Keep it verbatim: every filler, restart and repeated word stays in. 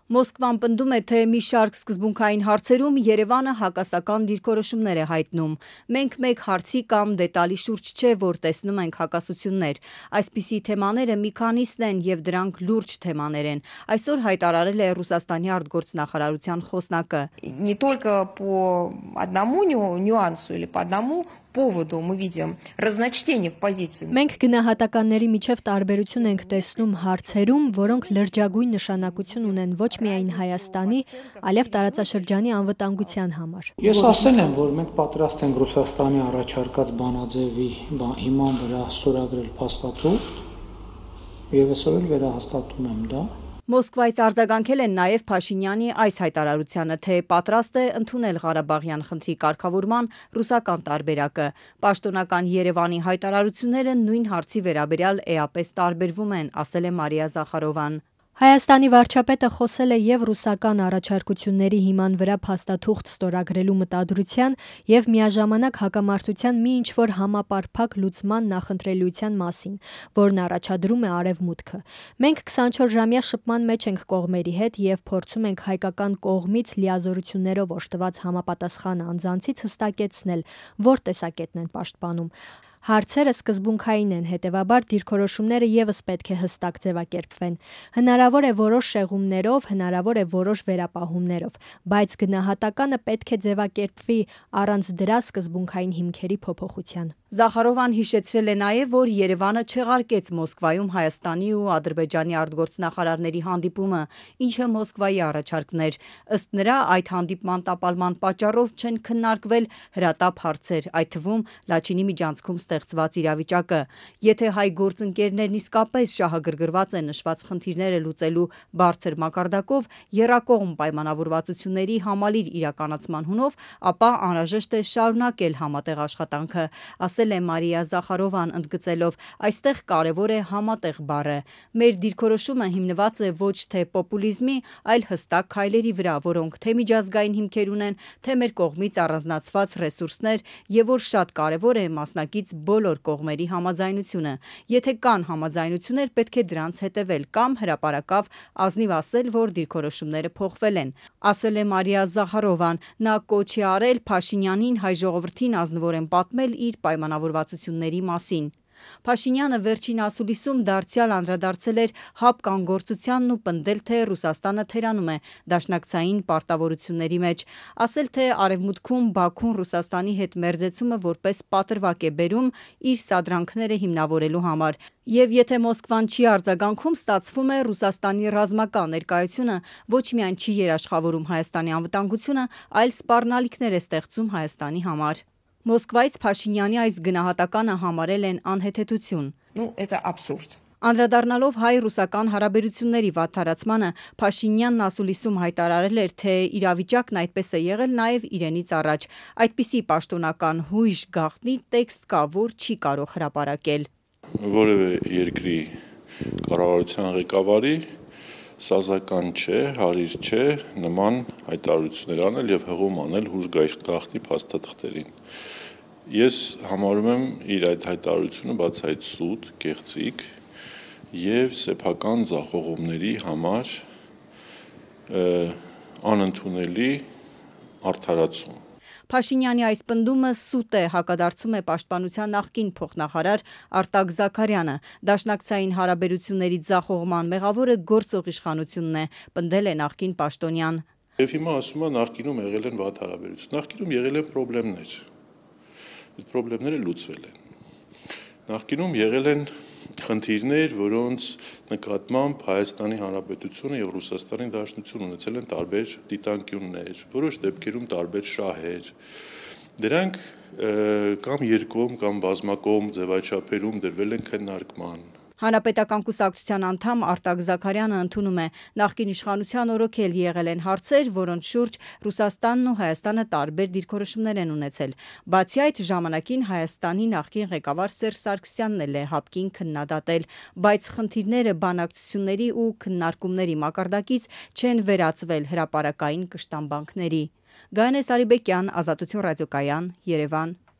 Մոսկվան պնդում է, թե մի շարք սկզբունքային հարցերում Երևանը հակասական դիրքորոշումներ է հայտնում։ Մենք մեկ հարցի կամ դետալի շուրջ չէ, որ տեսնում ենք հակասություններ։ Այսպիսի թեմաները մի քանիսն են և дրանք լուրջ թեմաներ են, այսօր հայտարարել է Ռուսաստանի արտգործնախարարության խոսնակը։ Не только по одному нюансу или по одному поводу мы видим разночтение в позиции. Մենք գնահատականների միջև տարբերություն ենք տեսնում հարցերում, որոնք լրջագույն նշանակություն ունեն ոչ միայն Հայաստանի, այլև տարածաշրջանի անվտանգության համար։ Ես ասել եմ, որ մենք պատրաստ ենք Ռուսաստանի առաջարկած բանաձևի հիման վրա ստորագրել փաստաթուղթ, եւ այսօր էլ վերահաստատում եմ դա։ Մոսկվայից արձագանքել են նաև Փաշինյանի այս հայտարարությանը, թե պատրաստ է ընդունել Ղարաբաղյան խնդրի կարգավորման ռուսական տարբերակը։ Պաշտոնական Երևանի հայտարարությունները նույն հարցի վերաբերյալ էապես տարբերվում են, ասել է Մարիա Զախարովան։ Հայաստանի վարչապետը խոսել է և ռուսական առաջարկությունների հիման վրա փաստաթուղթ ստորագրելու մտադրության և միաժամանակ հակամարտության մի ինչ-որ համապարփակ լուծման նախընտրելիության մասին, որն առաջադրում է Արևմուտքը։ Մենք քսանչորս-ժամյա շփման մեջ ենք կողմերի հետ և փորձում ենք հայկական կողմից լիազորություններով օժտված համապատասխան անձանցից հստակեցնել, որ տեսակետն են պաշտպանում։ Հարցերը սկզբունքային են, հետևաբար դիրքորոշումները ևս պետք է հստակ ձևակերպվեն։ Հնարավոր է որոշ շեղումներով, հնարավոր է որոշ վերապահումներով, բայց գնահատականը պետք է ձևակերպվի առանց դրա սկզբունքային հիմքերի փոփոխության։ Զախարովան հիշեցրել է նաև, որ Երևանը չեղարկեց Մոսկվայում Հայաստանի ու Ադրբեջանի արտգործնախարարների հանդիպումը, ինչը Մոսկվայի առաջարկն էր։ Ըստ նրա, այդ հանդիպման տապալման պատճառով չեն քննարկվել հրատապ հարցեր, այդ թվում Լաչինի միջանցքում ստեղծված իրավիճակը։ Եթե հայ գործընկերներն իսկապես շահագրգռված են նշված խնդիրները լուծելու բարձր մակարդակով, եռակողմ պայմանավորվածությունների համալիր իրականացման հունով, ապա անհրաժեշտ է շարունակել համատեղ աշխատանքը, ասել է Մարիա Զախարովան, ընդգծելով. այստեղ կարևոր է համատեղ բառը։ Մեր դիրքորոշումը հիմնված է ոչ թե պոպուլիզմի, այլ հստակ քայլերի վրա, որոնք թե միջազգային հիմքեր ունեն, թե մեր կողմից առանձնացված ռեսուրսներ, եւ որ շատ կարևոր է մասնակից բոլոր կողմերի համաձայնությունը։ Եթե կան համաձայնություններ, պետք է դրանց հետևել կամ հրապարակավ ազնիվ ասել, որ դիրքորոշումները փոխվել են, ասել է Մարիա Զախարովան։ Նա կոչ է արել Փաշինյանին հայ ժողովրդին ազնվորեն պատմել իր պայմանավորվածությունների մասին։ Փաշինյանը վերջին ասուլիսում դարձյալ անդրադարձել էր հապկանգործությանն ու պնդել, թե Ռուսաստանը թերանում է դաշնակցային պարտավորությունների մեջ, ասել, թե Արևմուտքում Բաքուն Ռուսաստանի հետ մերձեցումը որպես պատրվակ է բերում իր սադրանքները հիմնավորելու համար, եւ եթե Մոսկվան չի արձագանքում, ստացվում է Ռուսաստանի ռազմական ներկայությունը ոչ միայն չի երաշխավորում Հայաստանի անվտանգությունը, այլ սպառնալիքներ է ստեղծում Հայաստանի համար։ Մոսկվայից Փաշինյանի այս գնահատականը համարել են անհեթեթություն։ Ну, это абсурд. Անդրադառնալով հայ-ռուսական հարաբերությունների վատթարացմանը, Փաշինյանն ասուլիսում հայտարարել էր, թե իրավիճակն այդպես է եղել նաև իրենից առաջ։ Այդպիսի պաշտոնական հույժ գաղտնի տեքստ կա, որ չի կարող հրապարակել։ Որևէ երկրի կառավարության ղեկավարի սազական չէ, հարիր չէ նման հայտարարություններ անել եւ հղում անել հուժ գաղտնի փաստաթղթերին։ Ես համարում եմ իր այդ հայտարարությունը բացահայտ սուտ, կեղծիք եւ սեփական ձախողումների համար անընդունելի արդարացում։ Փաշինյանի այս պնդումը սուտ է, հակադարձում է Պաշտպանության նախկին փոխնախարար Արտակ Զաքարյանը։ Դաշնակցային հարաբերությունների ձախողման մեղավորը գործող իշխանությունն է, պնդել է նախկին պաշտոնյան։ Եվ հիմա ասում է նախկինում եղել են վատ հարաբերություն։ Նախկինում եղել են խնդիրներ։ Այդ խնդիրները լուծվել են։ Նախկինում եղել են խնդիրներ, որոնց նկատմամբ Հայաստանի Հանրապետությունը եւ Ռուսաստանի Դաշնությունը ունեցել են տարբեր դիտանկյուններ, որոշ դեպքերում տարբեր շահեր։ Դրանք կամ երկկողմ կամ բազմակողմ ձևաչափերում դրվել են քննարկման։ Հանրապետական կուսակցության անդամ Արտակ Զաքարյանը ընդունում է, նախկին իշխանության օրոքել եղել են հարցեր, որոնց շուրջ Ռուսաստանն ու Հայաստանը տարբեր դիրքորոշումներ են ունեցել։ Բացի այդ, ժամանակին Հայաստանի նախկին ղեկավար Սերժ Սարգսյանն էլ է հապկին քննադատել, բայց խնդիրները բանակցությունների ու քննարկումների մակարդակից չեն վերածվել հրապարակային կշտամբանքների։ Գայանե Սարիբեկյան, Ազատություն ռադիոկայան, Երևան։